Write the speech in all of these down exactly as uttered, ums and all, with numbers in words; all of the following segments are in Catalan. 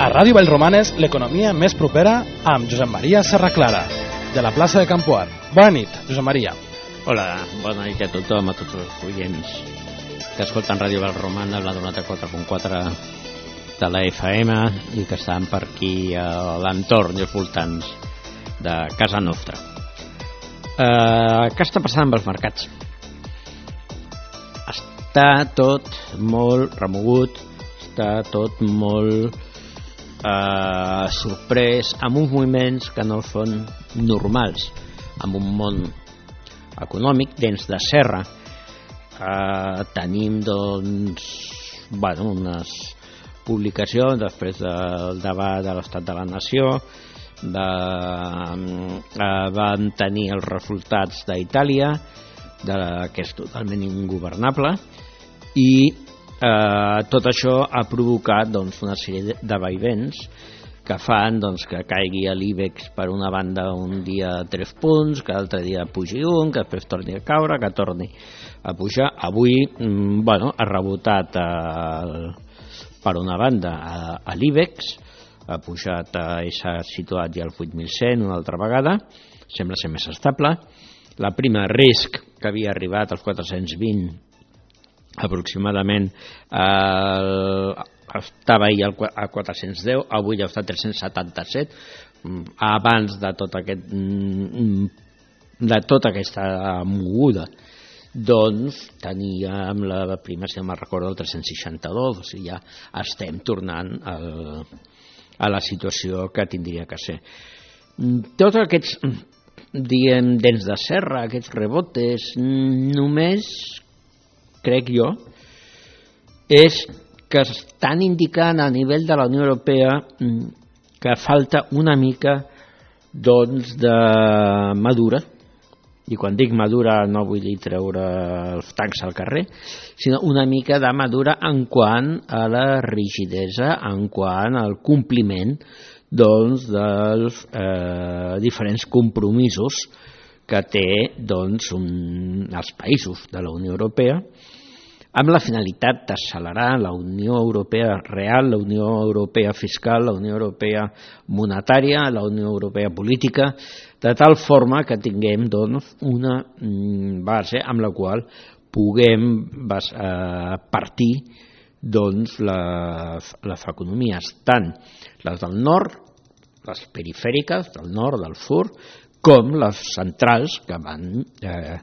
A Ràdio Vallromanes, l'economia més propera amb Josep Maria Serraclara, de la plaça de Campoar. Bona nit, Josep Maria. Hola, bona nit a tothom, a tots els oients que escolten Ràdio Vallromanes, la noranta-quatre punt quatre de la F M i que estan per aquí a l'entorn i als voltants de casa nostra. Uh, què està passant amb els mercats? Està tot molt remogut, està tot molt uh, sorprès, amb uns moviments que no són normals, amb un món econòmic dents de serra. Uh, tenim doncs bueno, unes publicacions després del debat de l'estat de la nació, de, uh, van tenir els resultats d'Itàlia, de, que és totalment ingovernable, i uh, tot això ha provocat doncs, una sèrie de vaivens que fan doncs, que caigui a l'IBEX per una banda un dia tres punts, que l'altre dia pugi un, que després torni a caure, que torni a pujar. Avui bueno, ha rebotat el, per una banda a, a l'IBEX, ha pujat, eh, s'ha situat ja al vuit mil cent una altra vegada, sembla ser més estable. La prima risc que havia arribat als quatre-cents vint aproximadament eh, estava ahir a quatre-cents deu, avui ja està a tres-cents setanta-set, abans de tot aquest de tota aquesta moguda doncs teníem la prima, si no me'n recordo, el tres-cents seixanta-dos, o sigui, ja estem tornant al, a la situació que tindria que ser. Tots aquests, diem, dents de serra, aquests rebotes, només, crec jo, és que estan indicant a nivell de la Unió Europea que falta una mica doncs de madura, i quan dic madura no vull dir treure els tancs al carrer, sinó una mica de madura en quant a la rigidesa, en quant al compliment doncs, dels eh, diferents compromisos que té doncs, un, els països de la Unió Europea, amb la finalitat d'accelerar la Unió Europea real, la Unió Europea fiscal, la Unió Europea monetària, la Unió Europea política, de tal forma que tinguem doncs, una base amb la qual puguem eh, partir doncs, les, les economies, tant les del nord, les perifèriques del nord, del sud, com les centrals que van... Eh,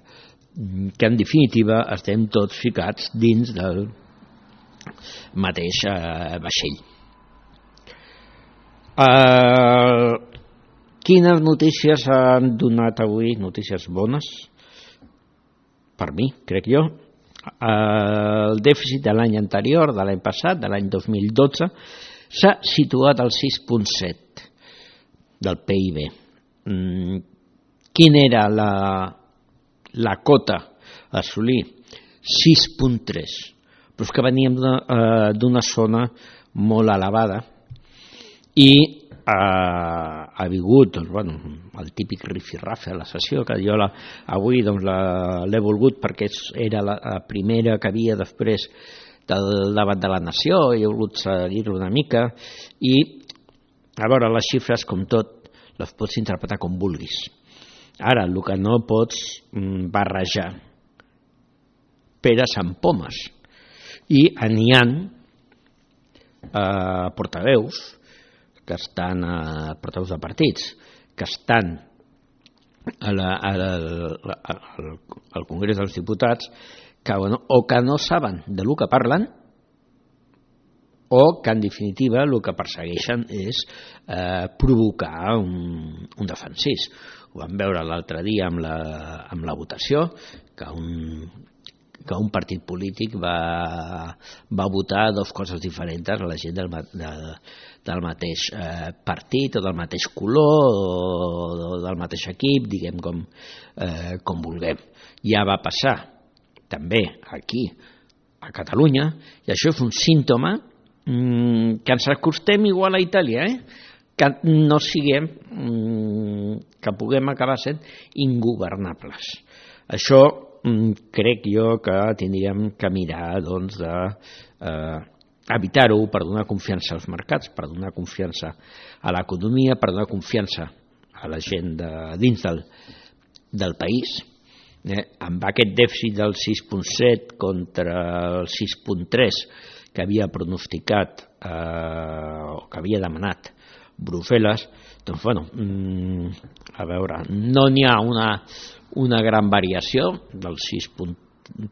que en definitiva estem tots ficats dins del mateix eh, vaixell. Eh, quines notícies han donat avui? Notícies bones, per mi, crec jo. Eh, el dèficit de l'any anterior, de l'any passat, de l'any dos mil dotze, s'ha situat al sis coma set del P I B. Mm, quina era la... la cota a assolir? sis coma tres, però és que veníem d'una eh, zona molt elevada i eh, ha vingut doncs, bueno, el típic rifirrafe a la sessió, que jo la, avui doncs, l'he volgut perquè era la, la primera que havia després del debat de la nació i he volgut seguir-lo una mica i a veure, les xifres com tot les pots interpretar com vulguis. Ara, el que no pots barrejar peres amb pomes. I n'hi ha eh, portaveus que estan, eh, portaveus de partits, que estan a la, a la, a la, al Congrés dels Diputats que, bueno, o que no saben de lo que parlen o que en definitiva el que persegueixen és eh, provocar un, un defensís. Ho vam veure l'altre dia amb la, amb la votació, que un, que un partit polític va, va votar dues coses diferents a la gent del, de, del mateix eh, partit o del mateix color o del mateix equip, diguem com, eh, com vulguem. Ja va passar també aquí a Catalunya i això és un símptoma mm, que ens acostem igual a Itàlia, eh? que no siguem, que puguem acabar sent ingovernables. Això crec jo que tindríem que mirar doncs, de eh, evitar-ho per donar confiança als mercats, per donar confiança a l'economia, per donar confiança a la gent de dins del, del país. Eh, amb aquest dèficit del sis coma set contra el sis coma tres que havia pronosticat eh, o que havia demanat Brussel·les, doncs bueno, a veure, no n'hi ha una, una gran variació del sis coma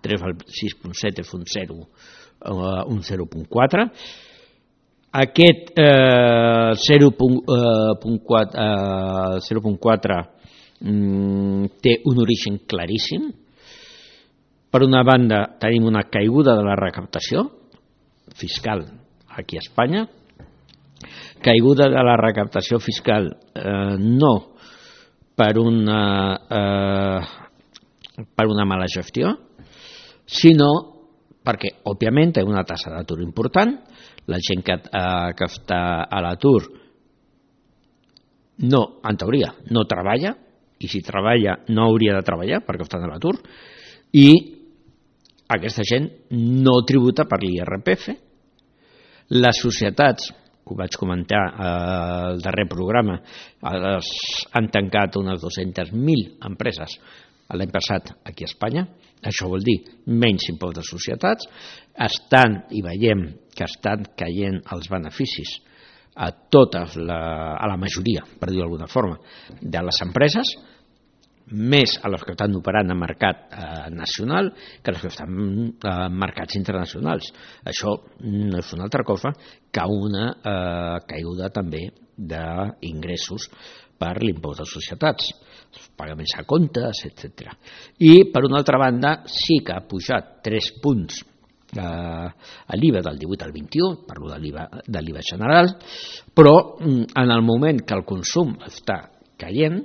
tres al sis coma set, és un zero, un zero coma quatre. Aquest eh, zero coma quatre mm, té un origen claríssim. Per una banda tenim una caiguda de la recaptació fiscal aquí a Espanya, caiguda de la recaptació fiscal eh, no per una, eh, per una mala gestió, sinó perquè, òbviament, té una tassa d'atur important, la gent que, eh, que està a l'atur no, en teoria, no treballa, i si treballa no hauria de treballar perquè està a l'atur, i aquesta gent no tributa per l'I R P F. Les societats, ho vaig comentar al darrer programa, han tancat unes dues-centes mil empreses l'any passat aquí a Espanya. Això vol dir menys impost de societats. Estan, i veiem que estan caient els beneficis a totes, la, a la majoria, per dir-ho d'alguna forma, de les empreses, més a les que estan operant en mercat eh, nacional que les que estan en mercats internacionals. Això no és una altra cosa que una eh, caiguda també d'ingressos per l'impost de societats, pagaments a comptes, etcètera. I, per una altra banda, sí que ha pujat tres punts eh, a l'I V A del divuit al vint-i-u, parlo de l'I V A, de l'I V A general, però en el moment que el consum està caient,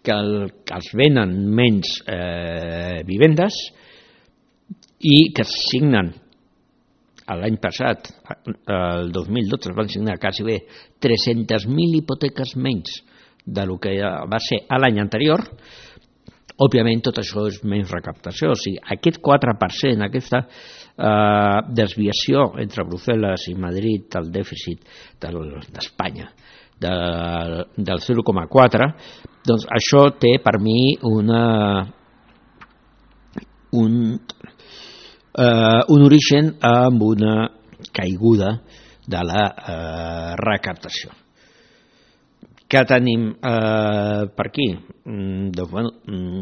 que, el, que els venen menys eh, vivendes i que es signen l'any passat, el dos mil dotze, es van signar quasi bé tres-centes mil hipoteques menys de lo que va ser l'any anterior. Òbviament tot això és menys recaptació, o sigui, aquest quatre per cent, aquesta eh, desviació entre Brussel·les i Madrid del dèficit d'Espanya, de, del zero coma quatre, doncs això té per mi una, un, eh, un origen amb una caiguda de la eh, recaptació. Què tenim eh, per aquí? Mm, doncs, bueno, mm,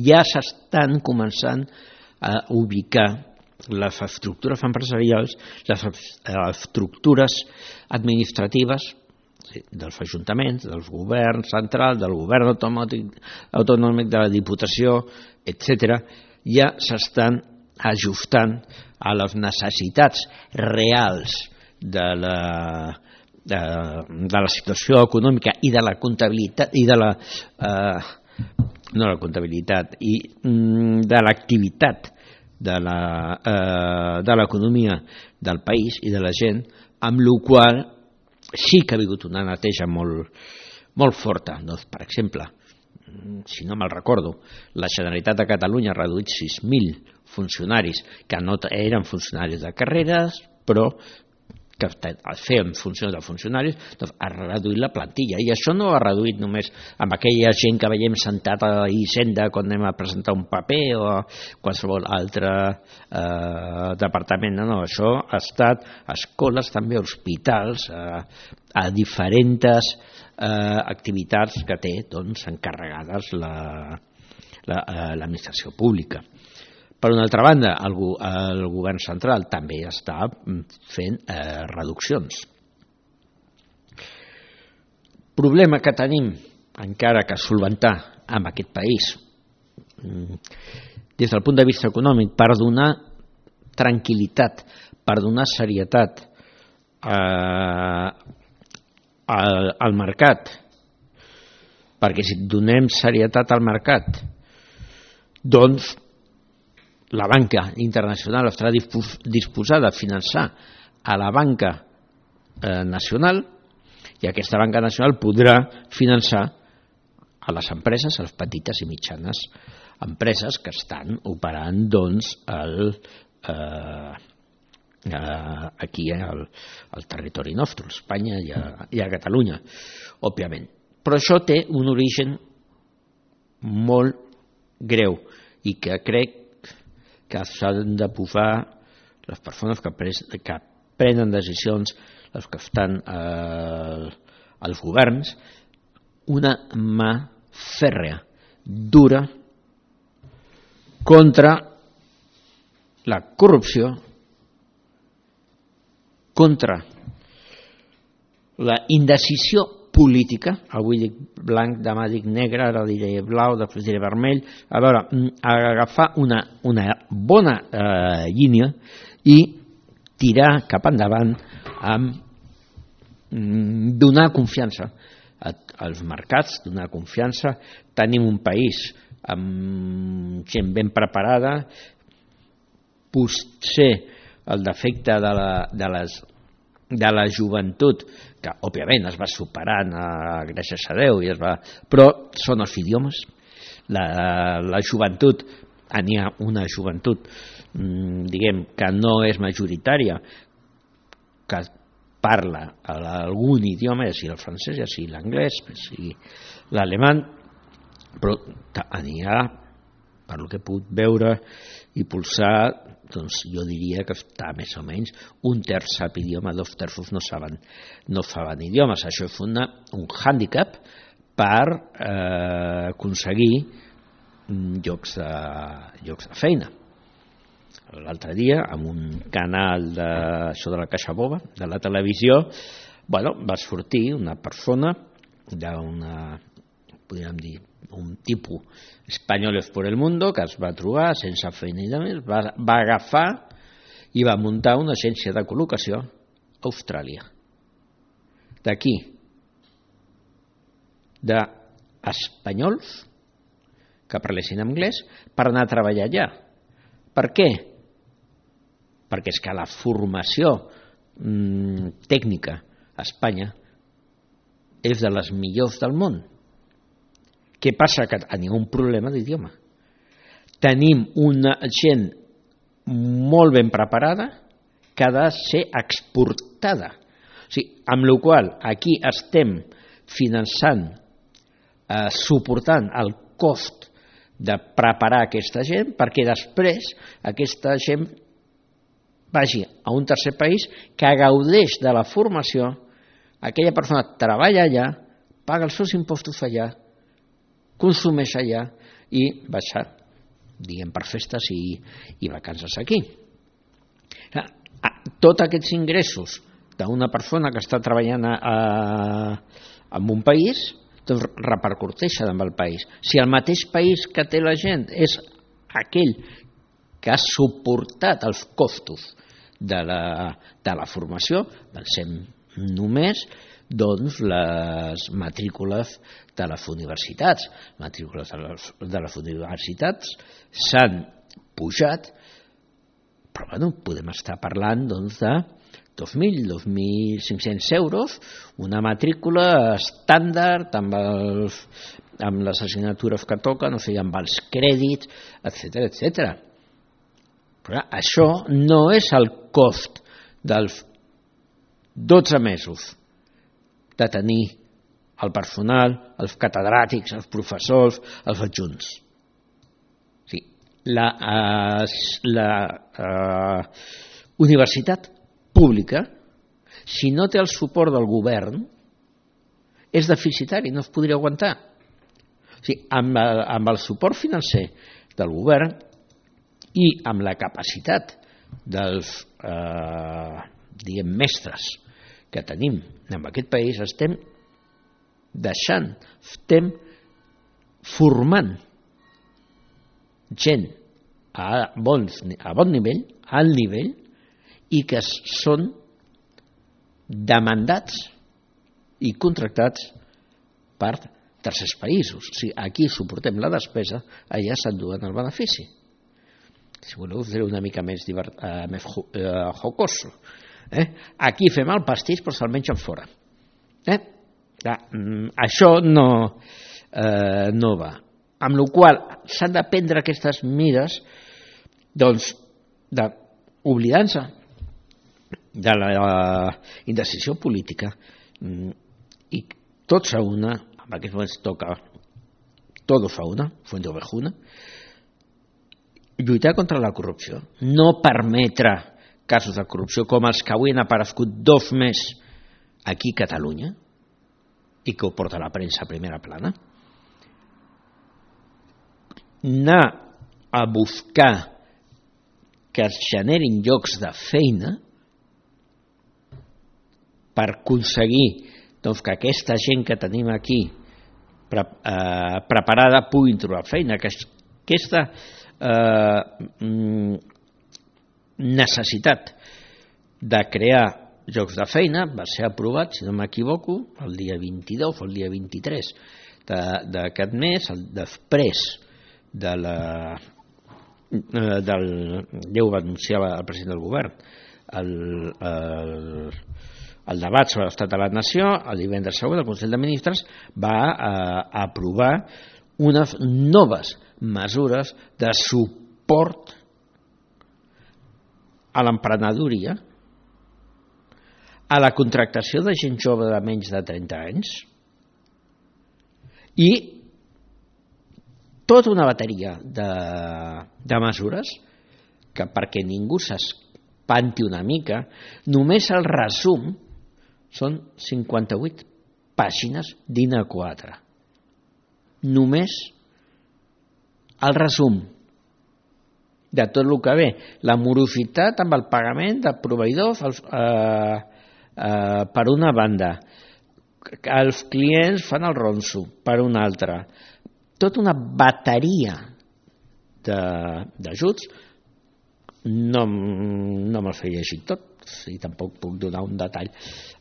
ja s'estan començant a ubicar les estructures empresarials, les estructures administratives dels ajuntaments, dels governs centrals, del govern autonòmic, autonòmic de la Diputació, etcètera, ja s'estan ajustant a les necessitats reals de la, de, de la situació econòmica i de la comptabilitat i de la eh, no la comptabilitat i de l'activitat de la eh, de l'economia del país i de la gent, amb la qual sí que ha hagut una neteja molt, molt forta. Doncs, per exemple, si no me'l recordo, la Generalitat de Catalunya ha reduït sis mil funcionaris que no eren funcionaris de carreres, però que feien funcions de funcionaris, doncs ha reduït la plantilla. I això no ha reduït només amb aquella gent que veiem sentat a Hisenda quan anem a presentar un paper o a qualsevol altre eh, departament. No, no, això ha estat a escoles, també a hospitals, a, a diferents eh, activitats que té doncs, encarregades la, la, l'administració pública. Per una altra banda, el, el govern central també està fent eh, reduccions. Problema que tenim encara que solventar amb aquest país des del punt de vista econòmic, per donar tranquil·litat, per donar serietat eh, al, al mercat, perquè si donem serietat al mercat, doncs la banca internacional estarà disposada a finançar a la banca eh, nacional, i aquesta banca nacional podrà finançar a les empreses, a les petites i mitjanes empreses que estan operant doncs, el, eh, eh, aquí al, al territori nostre, a Espanya i a, i a Catalunya, òbviament. Però això té un origen molt greu i que crec que s'han de posar les persones que, pres, que prenen decisions, les que estan eh, als governs, una mà fèrrea, dura, contra la corrupció, contra la indecisió política. Avui dic blanc, demà dic negre, ara diré blau, després diré vermell. A veure, agafar una, una bona eh, línia i tirar cap endavant amb donar confiança als mercats, donar confiança. Tenim un país amb gent ben preparada. Potser el defecte de la, de les, de la joventut, que òbviament es va superant a gràcies a Déu, i es va, però són els idiomes. La, la joventut, n'hi ha una joventut diguem que no és majoritària, que parla algun idioma, ja sigui el francès, ja sigui l'anglès, ja sigui l'alemany, però n'hi ha, per el que he pogut veure i pulsar, doncs jo diria que està més o menys un terç sap idioma, dos terços no saben, no saben idiomes. Això és una, un hàndicap per eh, aconseguir llocs de, llocs de feina. L'altre dia, en un canal de, això de la Caixa Boba, de la televisió, bueno, va sortir una persona d'una, podríem dir, un tipus Españoles por el mundo, que es va trobar sense feina i més, va, va agafar i va muntar una agència de col·locació a Austràlia. D'aquí, d'espanyols que parlessin anglès per anar a treballar allà. Per què? Perquè és que la formació mmm, tècnica a Espanya és de les millors del món. Què passa? Que tenim un problema d'idioma. Tenim una gent molt ben preparada que ha de ser exportada. O sigui, amb la qual cosa aquí estem finançant, eh, suportant el cost de preparar aquesta gent perquè després aquesta gent vagi a un tercer país que gaudeix de la formació, aquella persona treballa allà, paga els seus impostos allà, consumeix allà i baixa, diguem, per festes i, i vacances aquí. Tots aquests ingressos d'una persona que està treballant a, a, en un país, doncs repercuteixen amb el país. Si el mateix país que té la gent és aquell que ha suportat els costos de la, de la formació, pensem només doncs les matrícules de les universitats. Matrícules de les, de les universitats s'han pujat, però bueno, podem estar parlant doncs, de dos mil, dos mil cinc-cents euros, una matrícula estàndard amb, els, amb les assignatures que toquen, o sigui, amb els crèdits, etcètera, etcètera. Però això no és el cost dels dotze mesos de tenir el personal, els catedràtics, els professors, els adjunts. O sigui, la, eh, la eh, universitat pública, si no té el suport del govern, és deficitari, no es podria aguantar. O sigui, amb, amb el suport financer del govern i amb la capacitat dels eh, diguem, mestres que tenim en aquest país, estem deixant, estem formant gent a, bons, a bon nivell, a alt nivell, i que són demandats i contractats per tercers països. O sigui, aquí suportem la despesa, allà s'enduen el benefici. Si voleu, us diré una mica més, divert, eh, més eh, jocoso. Eh? Aquí fem el pastís, però se'l mengen fora. Eh? Ja, això no, eh, no va. Amb la qual s'han de prendre aquestes mires, doncs, oblidant-se de la indecisió política, i tots a una, en aquests moments toca todos a una, fuente ovejuna, lluitar contra la corrupció, no permetre casos de corrupció com els que avui han aparegut dos més aquí a Catalunya i que ho porta la premsa a primera plana. Anar a buscar que es generin llocs de feina per aconseguir doncs, que aquesta gent que tenim aquí pre eh, preparada puguin trobar feina, que aquesta eh, necessitat de crear llocs de feina va ser aprovat, si no m'equivoco, el dia vint-i-dos o el dia vint-i-tres d'aquest mes, després de la del, ja ho va anunciar el president del govern, el, el, el debat sobre l'estat de la nació, el divendres següent el Consell de Ministres va eh, aprovar unes noves mesures de suport a l'emprenedoria, a la contractació de gent jove de menys de trenta anys i tota una bateria de, de mesures que, perquè ningú s'espanti una mica, només el resum són cinquanta-vuit pàgines d'I N A quatre. Només el resum de tot el que ve. La morositat amb el pagament de proveïdors els, eh, eh, per una banda, els clients fan el ronso per una altra, tota una bateria d'ajuts. No, no me'ls he llegit tot i tampoc puc donar un detall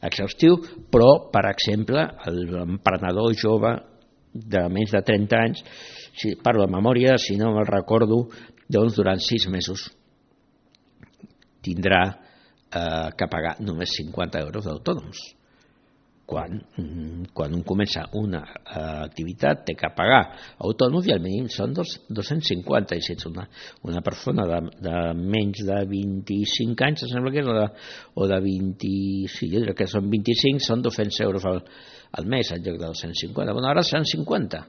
exhaustiu, però per exemple l'emprenedor jove de menys de trenta anys, si parlo de memòria, si no me'l recordo, doncs durant sis mesos tindrà eh, que pagar només cinquanta euros d'autònoms. Quan, quan un comença una uh, activitat té que pagar autònoms i al mínim són dos, dos-cents cinquanta, i si ets una, una persona de, de menys de vint-i-cinc anys, sembla que és, o de, o de vint, sí, jo crec que són vint-i-cinc, són dos-cents euros al, al mes en lloc de dos-cents cinquanta. Bueno, ara seran cinquanta.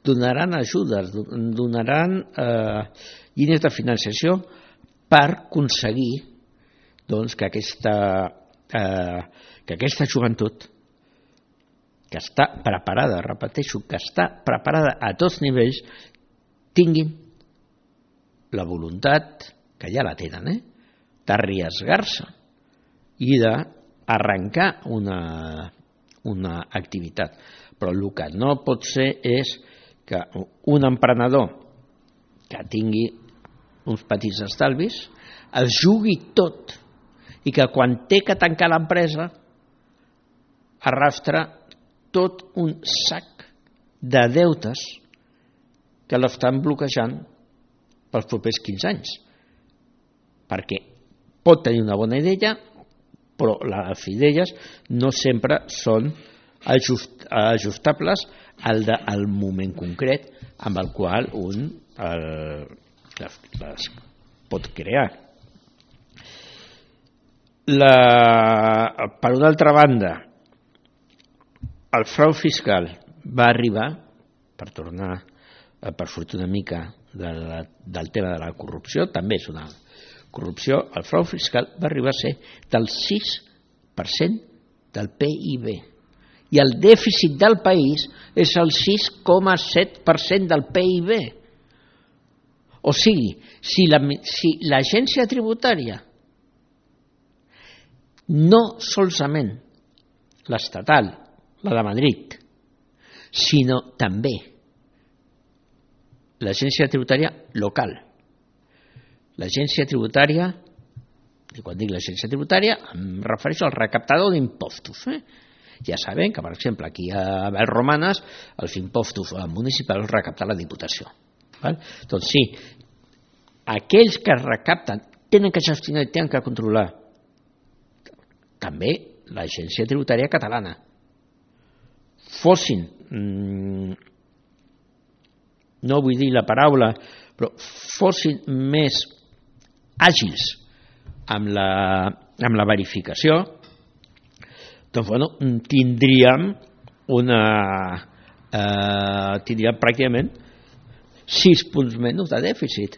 Donaran ajudes, donaran eh, línies de financiació per aconseguir doncs, que aquesta eh, que aquesta joventut que està preparada, repeteixo, que està preparada a tots nivells, tinguin la voluntat, que ja la tenen, eh, d'arriesgar-se i d'arrencar una, una activitat. Però el que no pot ser és que un emprenedor que tingui uns petits estalvis es jugui tot i que quan té que tancar l'empresa arrastra tot un sac de deutes que l'estan bloquejant pels propers quinze anys. Perquè pot tenir una bona idea, però les idees no sempre són ajust, ajustables al, de, al moment concret amb el qual un el, les, les pot crear. La, per una altra banda, el frau fiscal va arribar, per tornar per sortir una mica de la, del tema de la corrupció, també és una corrupció, el frau fiscal va arribar a ser del sis per cent del P I B i el dèficit del país és el sis coma set per cent del P I B. O sigui, si la, si l'agència tributària no solament l'estatal, la de Madrid, sinó també l'agència tributària local. L'agència tributària, i quan dic l'agència tributària, em refereixo al recaptador d'impostos. Eh? Ja sabem que, per exemple, aquí a Vallromanes, els impostos municipals els recapta la Diputació. Val? Doncs sí, aquells que recapten tenen que gestionar i tenen que controlar també l'agència tributària catalana. Fossin, mmm, no vull dir la paraula, però fossin més àgils amb la amb la verificació, doncs bueno, tindríem una eh, tindríem pràcticament sis punts menys de dèficit,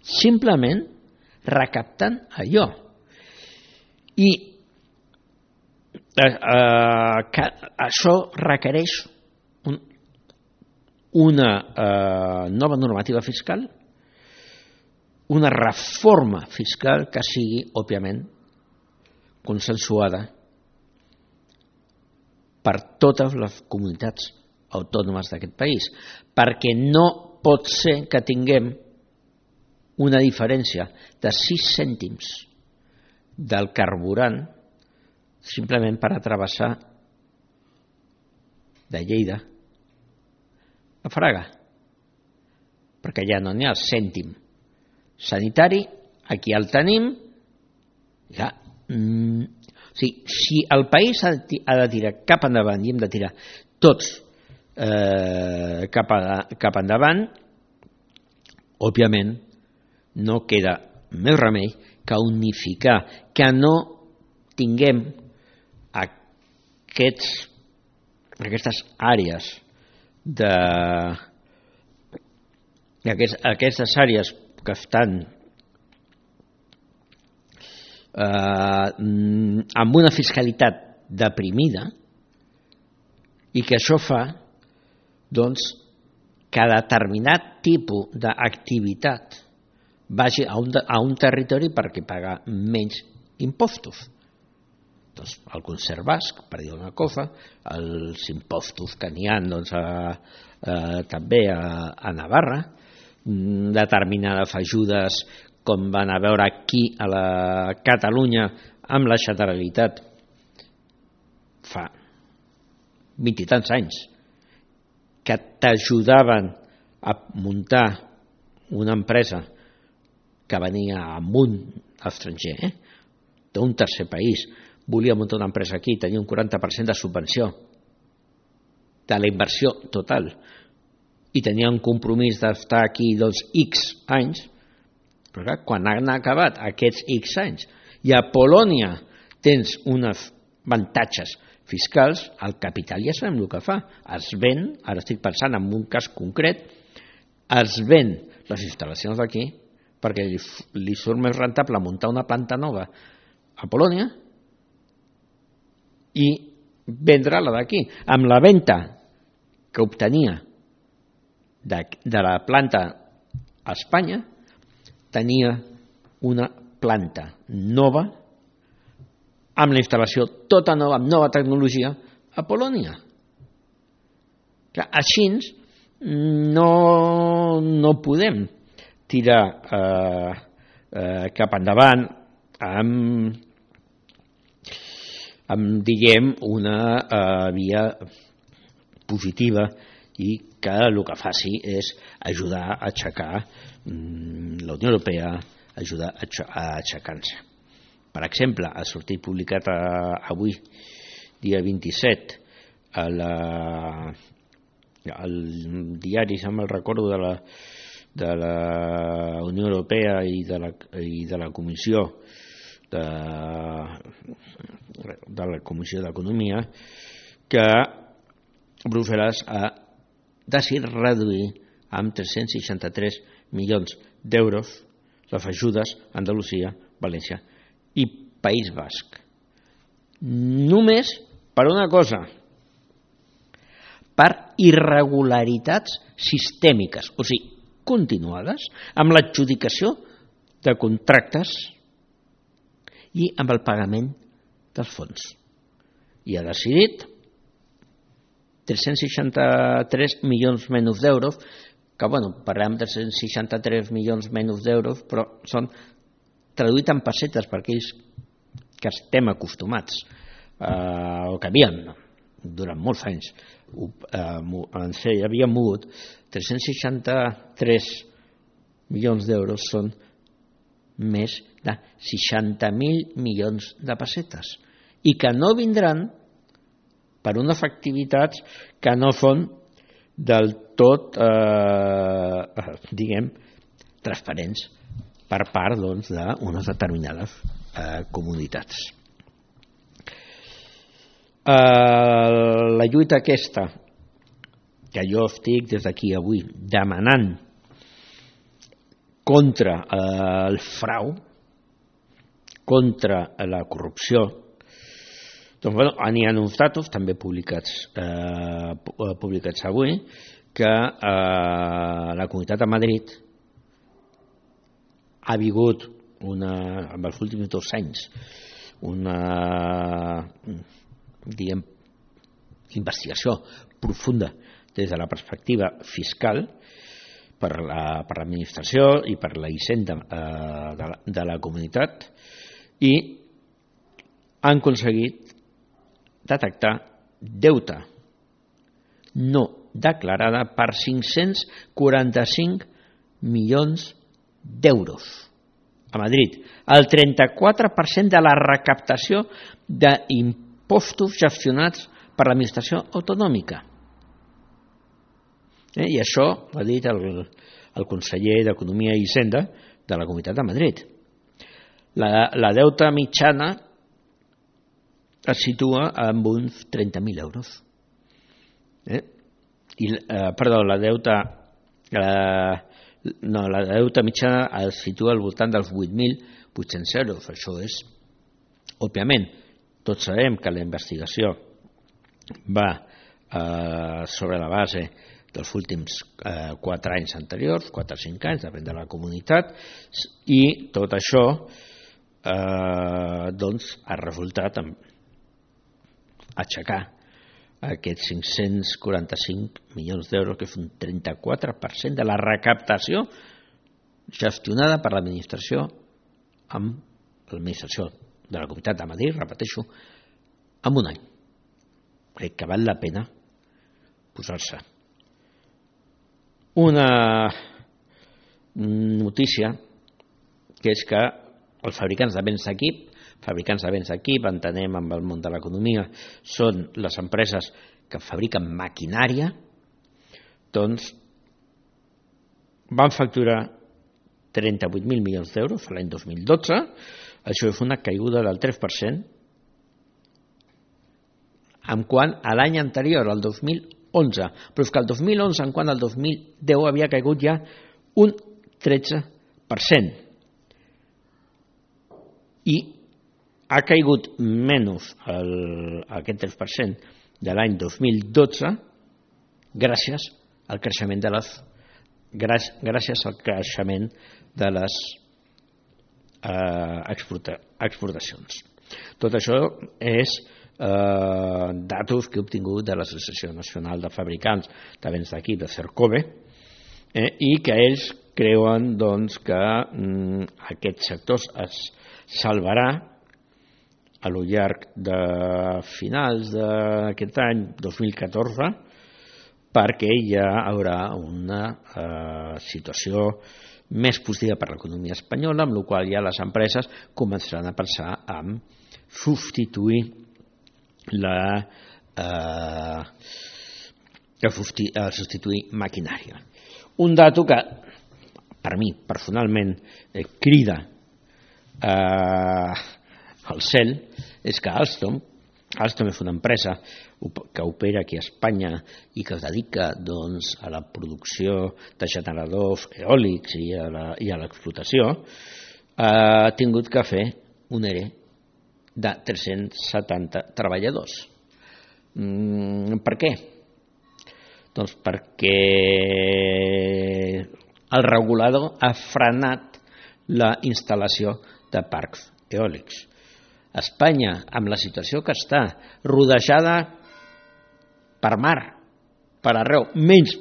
simplement recaptant allò. I eh, eh, que això requereix un, una eh, nova normativa fiscal, una reforma fiscal que sigui, òbviament, consensuada per totes les comunitats autònomes d'aquest país, perquè no pot ser que tinguem una diferència de sis cèntims del carburant simplement per atravessar de Lleida a Fraga, perquè ja no n'hi ha cèntim sanitari, aquí el tenim. Ja, mm, o sigui, si el país ha de, ha de tirar cap endavant i hem de tirar tots eh, cap, a, cap endavant, òbviament no queda més remei que unificar, que no tinguem aquests, aquestes àrees de aquests, aquestes àrees que estan eh, amb una fiscalitat deprimida i que això fa doncs, que determinat tipus d'activitat vagi a un, a un territori perquè paga menys impostos. Doncs el concert basc, per dir una cosa, els impostos que n'hi ha doncs, a, a, també a, a Navarra, determinades ajudes com van a veure aquí a la Catalunya amb la Generalitat fa vint i tants anys, que t'ajudaven a muntar una empresa que venia amunt estranger, eh? d'un tercer país, volia muntar una empresa aquí, tenia un quaranta per cent de subvenció de la inversió total i tenia un compromís d'estar aquí doncs X anys, però clar, quan han acabat aquests X anys i a Polònia tens uns avantatges fiscals, el capital ja sabem el que fa, es ven, ara estic pensant en un cas concret, es ven les instal·lacions d'aquí perquè li, li surt més rentable muntar una planta nova a Polònia i vendre-la d'aquí. Amb la venda que obtenia de, de la planta a Espanya, tenia una planta nova amb la instal·lació tota nova, amb nova tecnologia a Polònia. Clar, així no, no podem tirar eh, eh, cap endavant amb, amb diguem, una eh, via positiva i que el que faci és ajudar a aixecar mm, la Unió Europea, ajudar a aixecar-se. Per exemple, ha sortit publicat a, avui, dia vint-i-set, a la, al diari, si me'l recordo, de la, de la Unió Europea i de la, i de la Comissió de, de la Comissió d'Economia, que Brussel·les ha decidit reduir amb tres-cents seixanta-tres milions d'euros les ajudes a Andalusia, València i País Basc. Només per una cosa, per irregularitats sistèmiques, o sigui, continuades, amb l'adjudicació de contractes i amb el pagament dels fons. I ha decidit tres-cents seixanta-tres milions menys d'euros, que bueno, parlem de tres-cents seixanta-tres milions menys d'euros, però són traduït en pessetes per aquells que estem acostumats, eh, o que havíem durant molts anys, eh, ens havíem mogut. Tres-cents seixanta-tres milions d'euros són més de seixanta mil milions de pessetes i que no vindran per unes activitats que no són del tot, eh, diguem, transparents per part doncs, d'unes determinades eh, comunitats. Eh, la lluita aquesta que jo estic des d'aquí avui demanant contra eh, el frau, contra la corrupció, doncs, bueno, n'hi ha uns datos també publicats, eh, publicats avui, que eh, la Comunitat de Madrid ha vingut una, en els últims dos anys una diguem, investigació profunda des de la perspectiva fiscal per la, per l'administració i per la hisenda eh, de, la, de la comunitat, i han aconseguit detectar deute no declarada per cinc-cents quaranta-cinc milions d'euros a Madrid, el trenta-quatre per cent de la recaptació d'impostos gestionats per l'administració autonòmica. Eh? I això ho ha dit el, el conseller d'Economia i Hisenda de la Comunitat de Madrid. La, la deuta mitjana es situa en uns trenta mil euros. Eh? I, eh, perdó, la deuta eh, no, la deuta mitjana es situa al voltant dels vuit mil vuit-cents euros. Això és, òbviament, tots sabem que la investigació va eh, sobre la base dels últims eh, quatre anys anteriors, quatre o cinc anys, depèn de la comunitat, i tot això eh, doncs, ha resultat en aixecar aquests cinc-cents quaranta-cinc milions d'euros, que és un trenta-quatre per cent de la recaptació gestionada per l'administració amb l'administració de la Comunitat de Madrid, repeteixo, en un any. Crec que val la pena posar-se. Una notícia que és que els fabricants de béns d'equip, fabricants de béns d'equip, entenem amb el món de l'economia, són les empreses que fabriquen maquinària, doncs van facturar trenta-vuit mil milions d'euros l'any dos mil dotze, això és una caiguda del tres per cent, en quant a l'any anterior, el dos mil onze, però és que el dos mil onze, en quant al dos mil deu, havia caigut ja un tretze per cent. I ha caigut menys el, aquest tres per cent de l'any dos mil dotze gràcies al creixement de les gràcies al creixement de les eh, exporta, exportacions. Tot això és eh, datos que he obtingut de l'Associació Nacional de Fabricants de Béns d'Equip, de Cercove, eh, i que ells creuen doncs, que mm, aquest sector es salvarà a lo llarg de finals d'aquest any dos mil catorze, perquè ja haurà una eh, situació més positiva per l'economia espanyola, amb la qual ja les empreses començaran a pensar en substituir la eh, substituir maquinària. Un dato que per mi personalment eh, crida eh, al cel és que Alstom, Alstom és una empresa que opera aquí a Espanya i que es dedica doncs, a la producció de generadors eòlics i a la, i a l'explotació, ha tingut que fer un E R E de tres-cents setanta treballadors. Mm, per què? Doncs perquè el regulador ha frenat la instal·lació de parcs eòlics. Espanya, amb la situació que està, rodejada per mar, per arreu, menys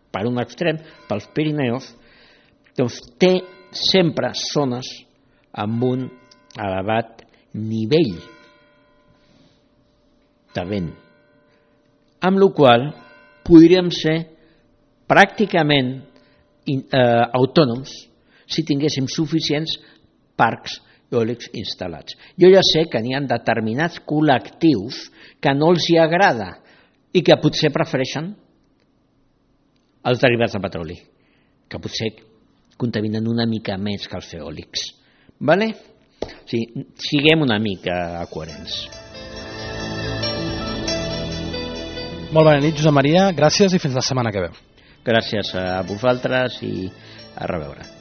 per un extrem, pels Pirineus, doncs té sempre zones amb un elevat nivell de vent, amb la qual podríem ser pràcticament eh, autònoms si tinguéssim suficients parcs eòlics instal·lats. Jo ja sé que n'hi ha determinats col·lectius que no els hi agrada i que potser prefereixen els derivats de petroli, que potser contaminen una mica més que els eòlics. Vale? O sigui, siguem una mica coherents. Molt bona nit, Josep Maria, gràcies i fins la setmana que ve. Gràcies a vosaltres i a reveure.